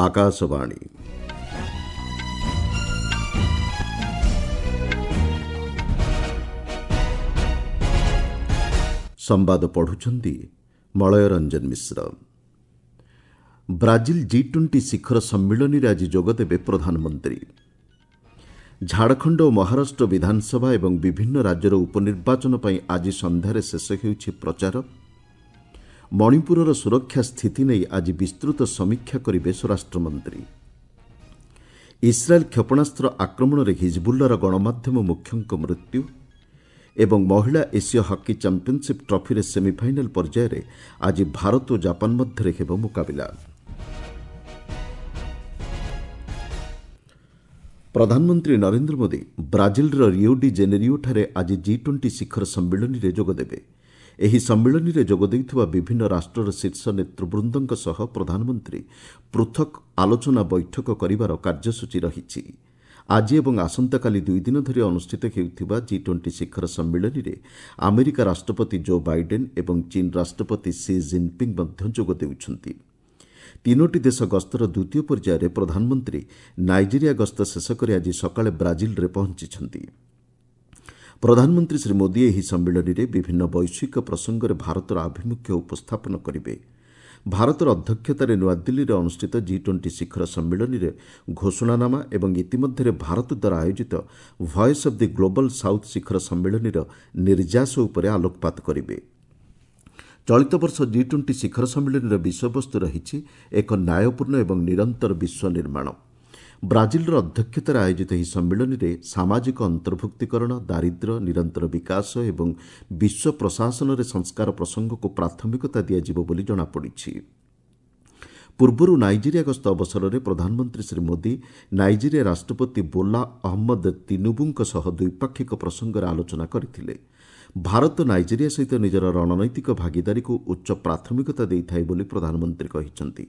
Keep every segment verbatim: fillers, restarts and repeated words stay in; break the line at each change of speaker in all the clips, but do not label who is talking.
ଆକାଶବାଣୀ ସମ୍ବାଦ ପଢୁଛନ୍ତି ମଳୟ Ranjan Mishra Brazil G twenty ଶିଖର ସମ୍ମିଳନୀରେ ଆଜି ଯୋଗଦେବେ ପ୍ରଧାନମନ୍ତ୍ରୀ ଝାଡ଼ଖଣ୍ଡ ଓ ମହାରାଷ୍ଟ୍ର ବିଧାନସଭା ଏବଂ ବିଭିନ୍ନ ରାଜ୍ୟର ଉପନିର୍ବାଚନ ପାଇଁ ଆଜି ସନ୍ଧ୍ୟାରେ ଶେଷ ହେଉଛି ପ୍ରଚାର ମଣିପୁରର ସୁରକ୍ଷା ସ୍ଥିତି ନେଇ ଆଜି ବିସ୍ତୃତ ସମୀକ୍ଷା କରିବେ ସ୍ୱରାଷ୍ଟ୍ରମନ୍ତ୍ରୀ ଇସ୍ରାଏଲ୍ କ୍ଷେପଣାସ୍ତ୍ର ଆକ୍ରମଣରେ ହିଜବୁଲ୍ଲାର ଗଣମାଧ୍ୟମ ମୁଖ୍ୟଙ୍କ ମୃତ୍ୟୁ ଏବଂ ମହିଳା ଏସୀୟ ହକି ଚାମ୍ପିୟନସିପ୍ ଟ୍ରଫିରେ ସେମିଫାଇନାଲ୍ ପର୍ଯ୍ୟାୟରେ ଆଜି ଭାରତ ଓ ଜାପାନ ମଧ୍ୟରେ ହେବ ମୁକାବିଲା ପ୍ରଧାନମନ୍ତ୍ରୀ ନରେନ୍ଦ୍ର ମୋଦି ବ୍ରାଜିଲର ରିଓ ଡି ଜେନେରିଓଠାରେ ଆଜି ଜି ଟ୍ୱେଣ୍ଟି ଶିଖର ସମ୍ମିଳନୀରେ ଯୋଗଦେବେ ଏହି ସମ୍ମିଳନୀରେ ଯୋଗ ଦେଉଥିବା ବିଭିନ୍ନ ରାଷ୍ଟ୍ରର ଶୀର୍ଷ ନେତୃବୃନ୍ଦଙ୍କ ସହ ପ୍ରଧାନମନ୍ତ୍ରୀ ପୃଥକ୍ ଆଲୋଚନା ବୈଠକ କରିବାର କାର୍ଯ୍ୟସୂଚୀ ରହିଛି ଆଜି ଏବଂ ଆସନ୍ତାକାଲି ଦୁଇଦିନ ଧରି ଅନୁଷ୍ଠିତ ହେଉଥିବା ଜି ଟ୍ୱେଣ୍ଟି ଶିଖର ସମ୍ମିଳନୀରେ ଆମେରିକା ରାଷ୍ଟ୍ରପତି ଜୋ ବାଇଡେନ୍ ଏବଂ ଚୀନ୍ ରାଷ୍ଟ୍ରପତି ସି ଜିନ୍ପିଙ୍ଗ୍ ମଧ୍ୟ ଯୋଗ ଦେଉଛନ୍ତି ତିନୋଟି ଦେଶ ଗସ୍ତର ଦ୍ୱିତୀୟ ପର୍ଯ୍ୟାୟରେ ପ୍ରଧାନମନ୍ତ୍ରୀ ନାଇଜେରିଆ ଗସ୍ତ ଶେଷ କରି ଆଜି ସକାଳେ ବ୍ରାଜିଲରେ ପହଞ୍ଚିଛନ୍ତି ପ୍ରଧାନମନ୍ତ୍ରୀ ଶ୍ରୀ ମୋଦି ଏହି ସମ୍ମିଳନୀରେ ବିଭିନ୍ନ ବୈଶ୍ୱିକ ପ୍ରସଙ୍ଗରେ ଭାରତର ଆଭିମୁଖ୍ୟ ଉପସ୍ଥାପନ କରିବେ ଭାରତର ଅଧ୍ୟକ୍ଷତାରେ ନୂଆଦିଲ୍ଲୀରେ ଅନୁଷ୍ଠିତ ଜି ଟ୍ୱେଣ୍ଟି ଶିଖର ସମ୍ମିଳନୀରେ ଘୋଷଣାନାମା ଏବଂ ଇତିମଧ୍ୟରେ ଭାରତ ଦ୍ୱାରା ଆୟୋଜିତ Voice of the Global South ଶିଖର ସମ୍ମିଳନୀର ନିର୍ଯାସ ଉପରେ ଆଲୋକପାତ କରିବେ ଚଳିତ ବର୍ଷ ଜି ଟ୍ୱେଣ୍ଟି ଶିଖର ସମ୍ମିଳନୀର ବିଷୟବସ୍ତୁ ରହିଛି ଏକ ନ୍ୟାୟପୂର୍ଣ୍ଣ ଏବଂ ନିରନ୍ତର ବିଶ୍ୱ ନିର୍ମାଣ ବ୍ରାଜିଲର ଅଧ୍ୟକ୍ଷତାରେ ଆୟୋଜିତ ଏହି ସମ୍ମିଳନୀରେ ସାମାଜିକ ଅନ୍ତର୍ଭୁକ୍ତୀକରଣ ଦାରିଦ୍ର୍ୟ ନିରନ୍ତର ବିକାଶ ଏବଂ ବିଶ୍ୱ ପ୍ରଶାସନରେ ସଂସ୍କାର ପ୍ରସଙ୍ଗକୁ ପ୍ରାଥମିକତା ଦିଆଯିବ ବୋଲି ଜଣାପଡ଼ିଛି ପୂର୍ବରୁ ନାଇଜେରିଆ ଗସ୍ତ ଅବସରରେ ପ୍ରଧାନମନ୍ତ୍ରୀ ଶ୍ରୀ ମୋଦି ନାଇଜେରିଆ ରାଷ୍ଟ୍ରପତି ବୋଲା ଅହମ୍ମଦ ତିନୁବୁଙ୍କ ସହ ଦ୍ୱିପାକ୍ଷିକ ପ୍ରସଙ୍ଗରେ ଆଲୋଚନା କରିଥିଲେ ଭାରତ ନାଇଜେରିଆ ସହିତ ନିଜର ରଣନୈତିକ ଭାଗିଦାରୀକୁ ଉଚ୍ଚ ପ୍ରାଥମିକତା ଦେଇଥାଏ ବୋଲି ପ୍ରଧାନମନ୍ତ୍ରୀ କହିଛନ୍ତି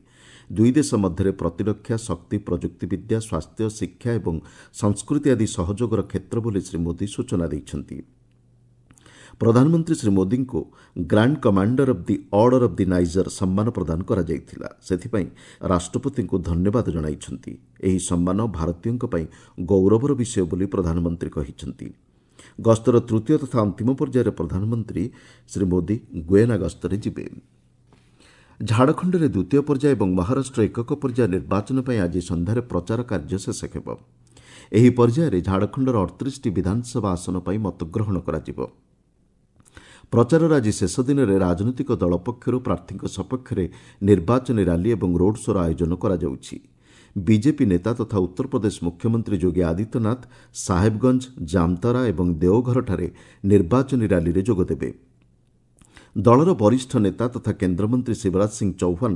ଦୁଇ ଦେଶ ମଧ୍ୟରେ ପ୍ରତିରକ୍ଷା ଶକ୍ତି ପ୍ରଯୁକ୍ତିବିଦ୍ୟା ସ୍ୱାସ୍ଥ୍ୟ ଶିକ୍ଷା ଏବଂ ସଂସ୍କୃତି ଆଦି ସହଯୋଗର କ୍ଷେତ୍ର ବୋଲି ଶ୍ରୀ ମୋଦି ସୂଚନା ଦେଇଛନ୍ତି ପ୍ରଧାନମନ୍ତ୍ରୀ ଶ୍ରୀ ମୋଦିଙ୍କୁ Grand Commander of the Order of the Niger ସମ୍ମାନ ପ୍ରଦାନ କରାଯାଇଥିଲା ସେଥିପାଇଁ ରାଷ୍ଟ୍ରପତିଙ୍କୁ ଧନ୍ୟବାଦ ଜଣାଇଛନ୍ତି ଏହି ସମ୍ମାନ ଭାରତୀୟଙ୍କ ପାଇଁ ଗୌରବର ବିଷୟ ବୋଲି ପ୍ରଧାନମନ୍ତ୍ରୀ କହିଛନ୍ତି ଗସ୍ତର ତୃତୀୟ ତଥା ଅନ୍ତିମ ପର୍ଯ୍ୟାୟରେ ପ୍ରଧାନମନ୍ତ୍ରୀ ଶ୍ରୀ ମୋଦି ଗୁଏନା ଗସ୍ତରେ ଯିବେ ଝାଡ଼ଖଣ୍ଡରେ ଦ୍ୱିତୀୟ ପର୍ଯ୍ୟାୟ ଏବଂ ମହାରାଷ୍ଟ୍ର ଏକକ ପର୍ଯ୍ୟାୟ ନିର୍ବାଚନ ପାଇଁ ଆଜି ସନ୍ଧ୍ୟାରେ ପ୍ରଚାର କାର୍ଯ୍ୟ ଶେଷ ହେବ ଏହି ପର୍ଯ୍ୟାୟରେ ଝାଡ଼ଖଣ୍ଡର ଅଠତିରିଶଟି ବିଧାନସଭା ଆସନ ପାଇଁ ମତଗ୍ରହଣ କରାଯିବ ପ୍ରଚାରର ଆଜି ଶେଷ ଦିନରେ ରାଜନୈତିକ ଦଳ ପକ୍ଷରୁ ପ୍ରାର୍ଥୀଙ୍କ ସପକ୍ଷରେ ନିର୍ବାଚନୀ ରାଲି ଏବଂ ରୋଡ୍ ଶୋର ଆୟୋଜନ କରାଯାଉଛି ବିଜେପି ନେତା ତଥା ଉତ୍ତରପ୍ରଦେଶ ମୁଖ୍ୟମନ୍ତ୍ରୀ ଯୋଗୀ ଆଦିତ୍ୟନାଥ ସାହେବଗଞ୍ଜ ଜାମତାରା ଏବଂ ଦେଓଘରଠାରେ ନିର୍ବାଚନୀ ରାଲିରେ ଯୋଗଦେବେ ଦଳର ବରିଷ୍ଠ ନେତା ତଥା କେନ୍ଦ୍ରମନ୍ତ୍ରୀ ଶିବରାଜ ସିଂ ଚୌହାନ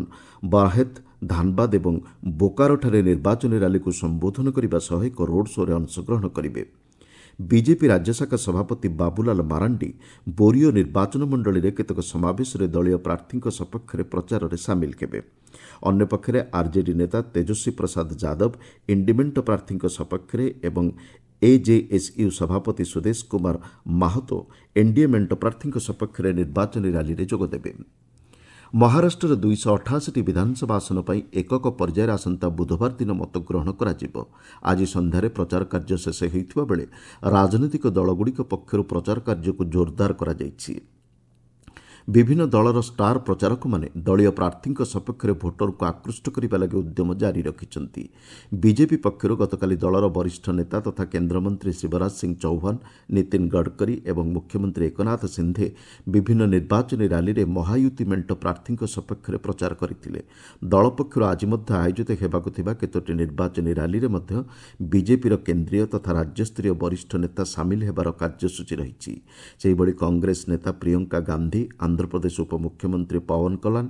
ବାରହେତ ଧାନବାଦ ଏବଂ ବୋକାରୋଠାରେ ନିର୍ବାଚନୀ ରାଲିକୁ ସମ୍ବୋଧନ କରିବା ସହ ଏକ ରୋଡ୍ ଶୋରେ ଅଂଶଗ୍ରହଣ କରିବେ ବିଜେପି ରାଜ୍ୟଶାଖା ସଭାପତି ବାବୁଲାଲ ମାରାଣ୍ଡି ବୋରିଓ ନିର୍ବାଚନ ମଣ୍ଡଳୀରେ କେତେକ ସମାବେଶରେ ଦଳୀୟ ପ୍ରାର୍ଥୀଙ୍କ ସପକ୍ଷରେ ପ୍ରଚାରରେ ସାମିଲ ହେବେ ଅନ୍ୟପକ୍ଷରେ ଆର୍ଜେଡି ନେତା ତେଜସ୍ୱୀ ପ୍ରସାଦ ଯାଦବ ଇଣ୍ଡିମେଣ୍ଟ ପ୍ରାର୍ଥୀଙ୍କ ସପକ୍ଷରେ ଏବଂ ଏଜେଏସ୍ୟୁ ସଭାପତି ସୁଦେଶ କୁମାର ମାହତୋ ଏନ୍ଡିଏ ମେଣ୍ଟ ପ୍ରାର୍ଥୀଙ୍କ ସପକ୍ଷରେ ନିର୍ବାଚନୀ ରାଲିରେ ଯୋଗଦେବେ ମହାରାଷ୍ଟ୍ରର ଦୁଇଶହ ଅଠାଅଶୀଟି ବିଧାନସଭା ଆସନ ପାଇଁ ଏକକ ପର୍ଯ୍ୟାୟରେ ଆସନ୍ତା ବୁଧବାର ଦିନ ମତଗ୍ରହଣ କରାଯିବ ଆଜି ସନ୍ଧ୍ୟାରେ ପ୍ରଚାର କାର୍ଯ୍ୟ ଶେଷ ହୋଇଥିବା ବେଳେ ରାଜନୈତିକ ଦଳଗୁଡ଼ିକ ପକ୍ଷରୁ ପ୍ରଚାର କାର୍ଯ୍ୟକୁ ଜୋରଦାର କରାଯାଇଛି ବିଭିନ୍ନ ଦଳର ଷ୍ଟାର ପ୍ରଚାରକମାନେ ଦଳୀୟ ପ୍ରାର୍ଥୀଙ୍କ ସପକ୍ଷରେ ଭୋଟରଙ୍କୁ ଆକୃଷ୍ଟ କରିବା ଲାଗି ଉଦ୍ୟମ ଜାରି ରଖିଛନ୍ତି ବିଜେପି ପକ୍ଷରୁ ଗତକାଲି ଦଳର ବରିଷ୍ଠ ନେତା ତଥା କେନ୍ଦ୍ରମନ୍ତ୍ରୀ ଶିବରାଜ ସିଂ ଚୌହାନ ନୀତିନ ଗଡ଼କରୀ ଏବଂ ମୁଖ୍ୟମନ୍ତ୍ରୀ ଏକନାଥ ସିନ୍ଧେ ବିଭିନ୍ନ ନିର୍ବାଚନୀ ରାଲିରେ ମହାୟୁତି ମେଣ୍ଟ ପ୍ରାର୍ଥୀଙ୍କ ସପକ୍ଷରେ ପ୍ରଚାର କରିଥିଲେ ଦଳ ପକ୍ଷରୁ ଆଜି ମଧ୍ୟ ଆୟୋଜିତ ହେବାକୁ ଥିବା କେତୋଟି ନିର୍ବାଚନୀ ରାଲିରେ ମଧ୍ୟ ବିଜେପିର କେନ୍ଦ୍ରୀୟ ତଥା ରାଜ୍ୟସ୍ତରୀୟ ବରିଷ୍ଠ ନେତା ସାମିଲ ହେବାର କାର୍ଯ୍ୟସୂଚୀ ରହିଛି ସେହିଭଳି କଂଗ୍ରେସ ନେତା ପ୍ରିୟଙ୍କା ଗାନ୍ଧୀ ଆନ୍ଧ୍ରପ୍ରଦେଶ ଉପମୁଖ୍ୟମନ୍ତ୍ରୀ ପୱନ କଲାନ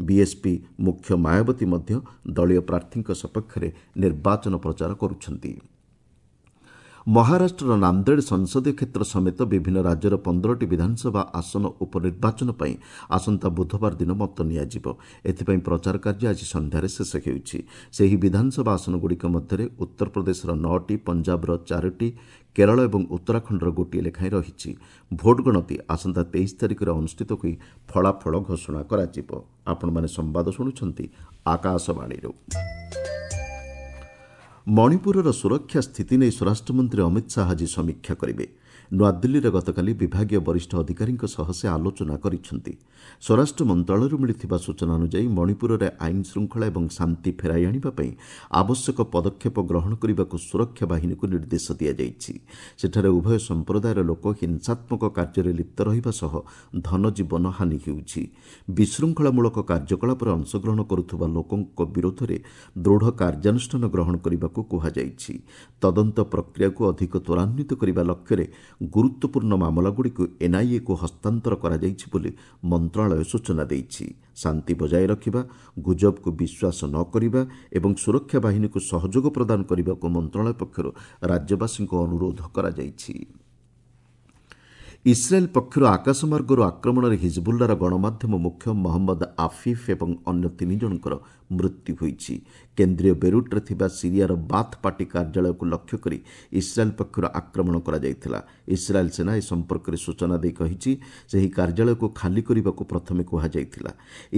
ବିଏସ୍ପି ମୁଖ୍ୟ ମାୟାବତୀ ମଧ୍ୟ ଦଳୀୟ ପ୍ରାର୍ଥୀଙ୍କ ସପକ୍ଷରେ ନିର୍ବାଚନ ପ୍ରଚାର କରୁଛନ୍ତି ମହାରାଷ୍ଟ୍ରର ନାନ୍ଦେଡ଼ ସଂସଦୀୟ କ୍ଷେତ୍ର ସମେତ ବିଭିନ୍ନ ରାଜ୍ୟର ପନ୍ଦରଟି ବିଧାନସଭା ଆସନ ଉପନିର୍ବାଚନ ପାଇଁ ଆସନ୍ତା ବୁଧବାର ଦିନ ମତ ନିଆଯିବ ଏଥିପାଇଁ ପ୍ରଚାର କାର୍ଯ୍ୟ ଆଜି ସନ୍ଧ୍ୟାରେ ଶେଷ ହେଉଛି ସେହି ବିଧାନସଭା ଆସନଗୁଡ଼ିକ ମଧ୍ୟରେ ଉତ୍ତରପ୍ରଦେଶର ନଅଟି ପଞ୍ଜାବର ଚାରୋଟି କେରଳ ଏବଂ ଉତ୍ତରାଖଣ୍ଡର ଗୋଟିଏ ଲେଖାଏଁ ରହିଛି ଭୋଟ ଗଣତି ଆସନ୍ତା ତେଇଶ ତାରିଖରେ ଅନୁଷ୍ଠିତ ହୋଇ ଫଳାଫଳ ଘୋଷଣା କରାଯିବ ଆପଣମାନେ ସମ୍ବାଦ ଶୁଣୁଛନ୍ତି ଆକାଶବାଣୀରୁ ମଣିପୁରର ସୁରକ୍ଷା ସ୍ଥିତି ନେଇ ସ୍ୱରାଷ୍ଟ୍ରମନ୍ତ୍ରୀ ଅମିତ ଶାହା ଆଜି ସମୀକ୍ଷା କରିବେ। ନୂଆଦିଲ୍ଲୀରେ ଗତକାଲି ବିଭାଗୀୟ ବରିଷ୍ଠ ଅଧିକାରୀଙ୍କ ସହ ସେ ଆଲୋଚନା କରିଛନ୍ତି। ସ୍ୱରାଷ୍ଟ୍ର ମନ୍ତ୍ରଣାଳୟରୁ ମିଳିଥିବା ସୂଚନା ଅନୁଯାୟୀ ମଣିପୁରରେ ଆଇନ ଶୃଙ୍ଖଳା ଏବଂ ଶାନ୍ତି ଫେରାଇ ଆଣିବା ପାଇଁ ଆବଶ୍ୟକ ପଦକ୍ଷେପ ଗ୍ରହଣ କରିବାକୁ ସୁରକ୍ଷା ବାହିନୀକୁ ନିର୍ଦ୍ଦେଶ ଦିଆଯାଇଛି। ସେଠାରେ ଉଭୟ ସମ୍ପ୍ରଦାୟର ଲୋକ ହିଂସାତ୍ମକ କାର୍ଯ୍ୟରେ ଲିପ୍ତ ରହିବା ସହ ଧନଜୀବନ ହାନି ହେଉଛି। ବିଶୃଙ୍ଖଳାମୂଳକ କାର୍ଯ୍ୟକଳାପରେ ଅଂଶଗ୍ରହଣ କରୁଥିବା ଲୋକଙ୍କ ବିରୋଧରେ ଦୃଢ଼ କାର୍ଯ୍ୟାନୁଷ୍ଠାନ ଗ୍ରହଣ କରିବାକୁ କୁହାଯାଇଛି। ତଦନ୍ତ ପ୍ରକ୍ରିୟାକୁ ଅଧିକ ତ୍ୱରାନ୍ୱିତ କରିବା ଲକ୍ଷ୍ୟରେ ଗୁରୁତ୍ୱପୂର୍ଣ୍ଣ ମାମଲାଗୁଡ଼ିକୁ ଏନ୍ଆଇଏକୁ ହସ୍ତାନ୍ତର କରାଯାଇଛି ବୋଲି ମନ୍ତ୍ରଣାଳୟ ସୂଚନା ଦେଇଛି। ଶାନ୍ତି ବଜାୟ ରଖିବା, ଗୁଜବକୁ ବିଶ୍ୱାସ ନ କରିବା ଏବଂ ସୁରକ୍ଷା ବାହିନୀକୁ ସହଯୋଗ ପ୍ରଦାନ କରିବାକୁ ମନ୍ତ୍ରଣାଳୟ ପକ୍ଷରୁ ରାଜ୍ୟବାସୀଙ୍କୁ ଅନୁରୋଧ କରାଯାଇଛି। ଇସ୍ରାଏଲ୍ ପକ୍ଷରୁ ଆକାଶମାର୍ଗରୁ ଆକ୍ରମଣରେ ହିଜବୁଲ୍ଲାର ଗଣମାଧ୍ୟମ ମୁଖ୍ୟ ମହମ୍ମଦ ଆଫିଫ୍ ଏବଂ ଅନ୍ୟ ତିନି ଜଣଙ୍କର ମୃତ୍ୟୁ ହୋଇଛି। କେନ୍ଦ୍ରୀୟ ବେରୁଟ୍ରେ ଥିବା ସିରିଆର ବାଥ୍ ପାର୍ଟି କାର୍ଯ୍ୟାଳୟକୁ ଲକ୍ଷ୍ୟ କରି ଇସ୍ରାଏଲ୍ ପକ୍ଷରୁ ଆକ୍ରମଣ କରାଯାଇଥିଲା। ଇସ୍ରାଏଲ୍ ସେନା ଏ ସମ୍ପର୍କରେ ସୂଚନା ଦେଇ କହିଛି, ସେହି କାର୍ଯ୍ୟାଳୟକୁ ଖାଲି କରିବାକୁ ପ୍ରଥମେ କୁହାଯାଇଥିଲା।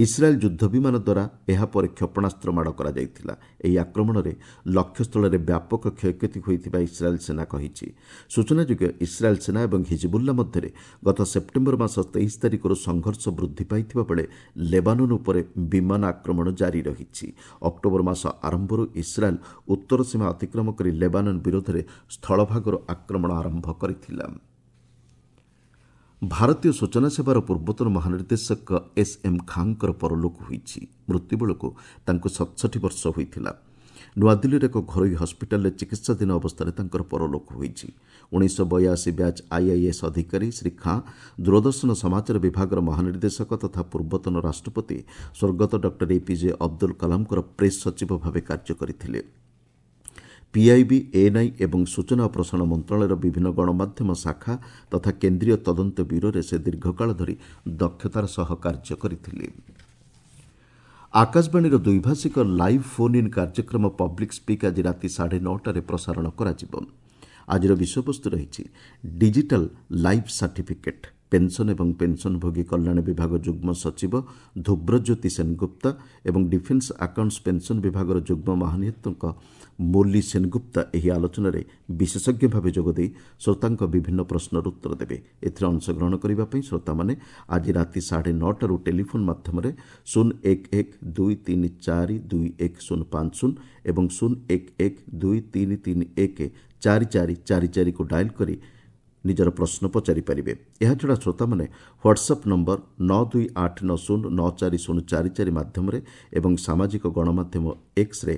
ଇସ୍ରାଏଲ୍ ଯୁଦ୍ଧ ବିମାନ ଦ୍ୱାରା ଏହାପରେ କ୍ଷେପଣାସ୍ତ୍ର ମାଡ଼ କରାଯାଇଥିଲା। ଏହି ଆକ୍ରମଣରେ ଲକ୍ଷ୍ୟସ୍ଥଳରେ ବ୍ୟାପକ କ୍ଷୟକ୍ଷତି ହୋଇଥିବା ଇସ୍ରାଏଲ୍ ସେନା କହିଛି। ସୂଚନାଯୋଗ୍ୟ, ଇସ୍ରାଏଲ୍ ସେନା ଏବଂ ହିଜବୁଲ୍ଲା ମଧ୍ୟରେ ଗତ ସେପ୍ଟେମ୍ବର ମାସ ତେଇଶ ତାରିଖରୁ ସଂଘର୍ଷ ବୃଦ୍ଧି ପାଇଥିବା ବେଳେ ଲେବାନନ୍ ଉପରେ ବିମାନ ଆକ୍ରମଣ ଜାରି ରହିଛି। ଅକ୍ଟୋବର ମାସ ଆରମ୍ଭରୁ ଇସ୍ରାଏଲ୍ ଉତ୍ତର ସୀମା ଅତିକ୍ରମ କରି ଲେବାନନ୍ ବିରୋଧରେ ସ୍ଥଳଭାଗରୁ ଆକ୍ରମଣ ଆରମ୍ଭ କରିଥିଲା। ଭାରତୀୟ ସୂଚନା ସେବାର ପୂର୍ବତନ ମହାନିର୍ଦ୍ଦେଶକ ଏସ୍ ଏମ୍ ଖାଁଙ୍କର ପରଲୋକ ହୋଇଛି। ମୃତ୍ୟୁବେଳକୁ ତାଙ୍କୁ ସତଷଠି ବର୍ଷ ହୋଇଥିଲା। ନୂଆଦିଲ୍ଲୀର ଏକ ଘରୋଇ ହସ୍ପିଟାଲରେ ଚିକିତ୍ସାଧୀନ ଅବସ୍ଥାରେ ତାଙ୍କର ପରଲୋକ ହୋଇଛି। ଉଣେଇଶହ ବୟାଅଶୀ ବ୍ୟାଚ୍ ଆଇଆଇଏସ୍ ଅଧିକାରୀ ଶ୍ରୀ ଖାଁ ଦୂରଦର୍ଶନ ସମାଚାର ବିଭାଗର ମହାନିର୍ଦ୍ଦେଶକ ତଥା ପୂର୍ବତନ ରାଷ୍ଟ୍ରପତି ସ୍ୱର୍ଗତ ଡକ୍ଟର ଏପିଜେ ଅବଦୁଲ କଲାମଙ୍କର ପ୍ରେସ୍ ସଚିବ ଭାବେ କାର୍ଯ୍ୟ କରିଥିଲେ। ପିଆଇବି, ଏଏନ୍ଆଇ ଏବଂ ସୂଚନା ଓ ପ୍ରସାରଣ ମନ୍ତ୍ରଣାଳୟର ବିଭିନ୍ନ ଗଣମାଧ୍ୟମ ଶାଖା ତଥା କେନ୍ଦ୍ରୀୟ ତଦନ୍ତ ବ୍ୟୁରୋରେ ସେ ଦୀର୍ଘକାଳ ଧରି ଦକ୍ଷତାର ସହ କାର୍ଯ୍ୟ କରିଥିଲେ। ଆକାଶବାଣୀର ଦ୍ୱିଭାଷିକ ଲାଇଭ୍ ଫୋନ୍ ଇନ୍ କାର୍ଯ୍ୟକ୍ରମ ପବ୍ଲିକ୍ ସ୍ପିକ୍ ଆଜି ରାତି ସାଢ଼େ ନଅଟାରେ ପ୍ରସାରଣ କରାଯିବ। ଆଜିର ବିଷୟବସ୍ତୁ ରହିଛି ଡିଜିଟାଲ୍ ଲାଇଫ୍ ସାର୍ଟିଫିକେଟ୍। ପେନ୍ସନ୍ ଏବଂ ପେନ୍ସନ୍ଭୋଗୀ କଲ୍ୟାଣ ବିଭାଗ ଯୁଗ୍ମ ସଚିବ ଧ୍ରୁବଜ୍ୟୋତି ସେନଗୁପ୍ତା ଏବଂ ଡିଫେନ୍ସ ଆକାଉଣ୍ଟସ୍ ପେନ୍ସନ୍ ବିଭାଗର ଯୁଗ୍ମ ମହାନିୟନ୍ତ୍ରକ ମୋଲି ସେନଗୁପ୍ତା ଏହି ଆଲୋଚନାରେ ବିଶେଷଜ୍ଞ ଭାବେ ଯୋଗଦେଇ ଶ୍ରୋତାଙ୍କ ବିଭିନ୍ନ ପ୍ରଶ୍ନର ଉତ୍ତର ଦେବେ। ଏଥିରେ ଅଂଶଗ୍ରହଣ କରିବା ପାଇଁ ଶ୍ରୋତାମାନେ ଆଜି ରାତି ସାଢ଼େ ନଅଟାରୁ ଟେଲିଫୋନ୍ ମାଧ୍ୟମରେ ଶୂନ ଏକ ଏକ ଦୁଇ ତିନି ଚାରି ଦୁଇ ଏକ ଶୂନ ପାଞ୍ଚ ଶୂନ ଏବଂ ଶୂନ ଏକ ଏକ ଦୁଇ ତିନି ତିନି ଏକ ଚାରି ଚାରି ଚାରି ଚାରିକୁ ଡାଏଲ୍ କରି ନିଜର ପ୍ରଶ୍ନ ପଚାରିପାରିବେ। ଏହାଛଡ଼ା ଶ୍ରୋତାମାନେ ହ୍ୱାଟ୍ସଆପ୍ ନମ୍ବର ନଅ ଦୁଇ ଆଠ ନଅ ଶୂନ ନଅ ଚାରି ଶୂନ ଚାରି ଚାରି ମାଧ୍ୟମରେ ଏବଂ ସାମାଜିକ ଗଣମାଧ୍ୟମ ଏକ୍ସରେ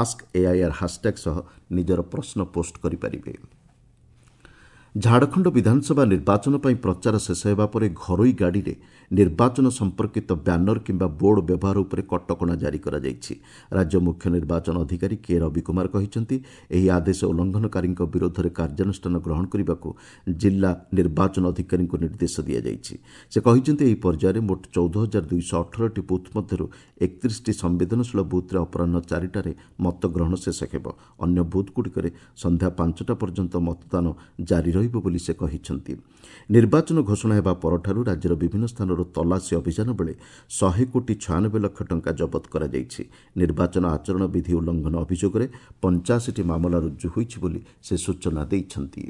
ଆସ୍କ ଏଆଇଆର୍ ହାସ୍ଟ୍ୟାଗ୍ ସହ ନିଜର ପ୍ରଶ୍ନ ପୋଷ୍ଟ କରିପାରିବେ। ଝାଡ଼ଖଣ୍ଡ ବିଧାନସଭା ନିର୍ବାଚନ ପାଇଁ ପ୍ରଚାର ଶେଷ ହେବା ପରେ ଘରୋଇ ଗାଡ଼ିରେ ନିର୍ବାଚନ ସମ୍ପର୍କିତ ବ୍ୟାନର କିମ୍ବା ବୋର୍ଡ ବ୍ୟବହାର ଉପରେ କଟକଣା ଜାରି କରାଯାଇଛି। ରାଜ୍ୟ ମୁଖ୍ୟ ନିର୍ବାଚନ ଅଧିକାରୀ କେ ରବି କୁମାର କହିଛନ୍ତି, ଏହି ଆଦେଶ ଉଲ୍ଲଂଘନକାରୀଙ୍କ ବିରୋଧରେ କାର୍ଯ୍ୟାନୁଷ୍ଠାନ ଗ୍ରହଣ କରିବାକୁ ଜିଲ୍ଲା ନିର୍ବାଚନ ଅଧିକାରୀଙ୍କୁ ନିର୍ଦ୍ଦେଶ ଦିଆଯାଇଛି। ସେ କହିଛନ୍ତି, ଏହି ପର୍ଯ୍ୟାୟରେ ମୋଟ ଚଉଦ ହଜାର ଦୁଇଶହ ଅଠରଟି ବୁଥ୍ ମଧ୍ୟରୁ ଏକତିରିଶଟି ସମ୍ବେଦନଶୀଳ ବୁଥ୍ରେ ଅପରାହ୍ନ ଚାରିଟାରେ ମତଗ୍ରହଣ ଶେଷ ହେବ। ଅନ୍ୟ ବୁଥ୍ଗୁଡ଼ିକରେ ସନ୍ଧ୍ୟା ପାଞ୍ଚଟା ପର୍ଯ୍ୟନ୍ତ ମତଦାନ ଜାରି ରହିବ ବୋଲି ସେ କହିଛନ୍ତି। ନିର୍ବାଚନ ଘୋଷଣା ହେବା ପରଠାରୁ ରାଜ୍ୟର ବିଭିନ୍ନ ସ୍ଥାନରୁ ତଲାସୀ ଅଭିଯାନ ବେଳେ ଶହେ କୋଟି ଛୟାନବେ ଲକ୍ଷ ଟଙ୍କା ଜବତ କରାଯାଇଛି। ନିର୍ବାଚନ ଆଚରଣ ବିଧି ଉଲ୍ଲଂଘନ ଅଭିଯୋଗରେ ପଞ୍ଚାଅଶୀଟି ମାମଲା ରୁଜୁ ହୋଇଛି ବୋଲି ସେ ସୂଚନା ଦେଇଛନ୍ତି।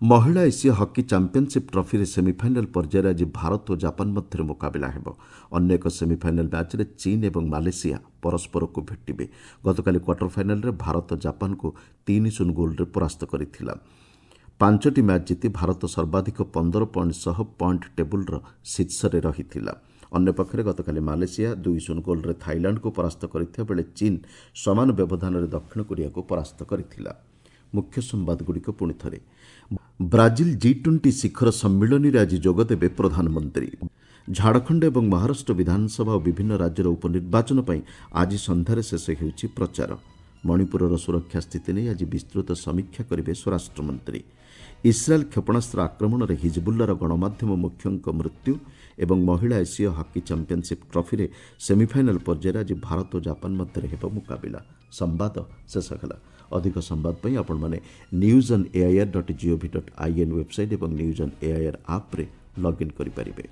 ମହିଳା ଏସୀୟ ହକି ଚାମ୍ପିୟନସିପ୍ ଟ୍ରଫିରେ ସେମିଫାଇନାଲ୍ ପର୍ଯ୍ୟାୟରେ ଆଜି ଭାରତ ଓ ଜାପାନ ମଧ୍ୟରେ ମୁକାବିଲା ହେବ। ଅନ୍ୟ ଏକ ସେମିଫାଇନାଲ୍ ମ୍ୟାଚ୍ରେ ଚୀନ୍ ଏବଂ ମାଲେସିଆ ପରସ୍ପରକୁ ଭେଟିବେ। ଗତକାଲି କ୍ୱାର୍ଟର ଫାଇନାଲ୍ରେ ଭାରତ ଜାପାନକୁ ତିନି ଶୂନ ଗୋଲ୍ରେ ପରାସ୍ତ କରିଥିଲା। ପାଞ୍ଚଟି ମ୍ୟାଚ୍ ଜିତି ଭାରତ ସର୍ବାଧିକ ପନ୍ଦର ପଏଣ୍ଟ ସହ ପଏଣ୍ଟ ଟେବୁଲ୍ର ଶୀର୍ଷରେ ରହିଥିଲା। ଅନ୍ୟପକ୍ଷରେ ଗତକାଲି ମାଲେସିଆ ଦୁଇ ଶୂନ ଗୋଲ୍ରେ ଥାଇଲାଣ୍ଡକୁ ପରାସ୍ତ କରିଥିବା ବେଳେ ଚୀନ୍ ସମାନ ବ୍ୟବଧାନରେ ଦକ୍ଷିଣ କୋରିଆକୁ ପରାସ୍ତ କରିଥିଲା। ମୁଖ୍ୟ ସମ୍ବାଦଗୁଡ଼ିକ ପୁଣି ଥରେ। ବ୍ରାଜିଲ ଜି ଟ୍ୱେଣ୍ଟି ଶିଖର ସମ୍ମିଳନୀରେ ଆଜି ଯୋଗଦେବେ ପ୍ରଧାନମନ୍ତ୍ରୀ। ଝାଡ଼ଖଣ୍ଡ ଏବଂ ମହାରାଷ୍ଟ୍ର ବିଧାନସଭା ଓ ବିଭିନ୍ନ ରାଜ୍ୟର ଉପନିର୍ବାଚନ ପାଇଁ ଆଜି ସନ୍ଧ୍ୟାରେ ଶେଷ ହେଉଛି ପ୍ରଚାର। ମଣିପୁରର ସୁରକ୍ଷା ସ୍ଥିତି ନେଇ ଆଜି ବିସ୍ତୃତ ସମୀକ୍ଷା କରିବେ ସ୍ୱରାଷ୍ଟ୍ରମନ୍ତ୍ରୀ। ଇସ୍ରାଏଲ୍ କ୍ଷେପଣାସ୍ତ୍ର ଆକ୍ରମଣରେ ହିଜବୁଲ୍ଲାର ଗଣମାଧ୍ୟମ ମୁଖ୍ୟଙ୍କ ମୃତ୍ୟୁ ଏବଂ ମହିଳା ଏସୀୟ ହକି ଚାମ୍ପିୟନସିପ୍ ଟ୍ରଫିରେ ସେମିଫାଇନାଲ୍ ପର୍ଯ୍ୟାୟରେ ଆଜି ଭାରତ ଓ ଜାପାନ ମଧ୍ୟରେ ହେବ ମୁକାବିଲା। ସମ୍ବାଦ ଶେଷ ହେଲା। ଅଧିକ ସମ୍ବାଦ ପାଇଁ ଆପଣମାନେ news on AIR dot gov dot in website ଏବଂ ନ୍ୟୁଜ୍ ଅନ୍ ଏଆଇଆର୍ ଆପ୍ରେ ଲଗ୍ଇନ୍ କରିପାରିବେ।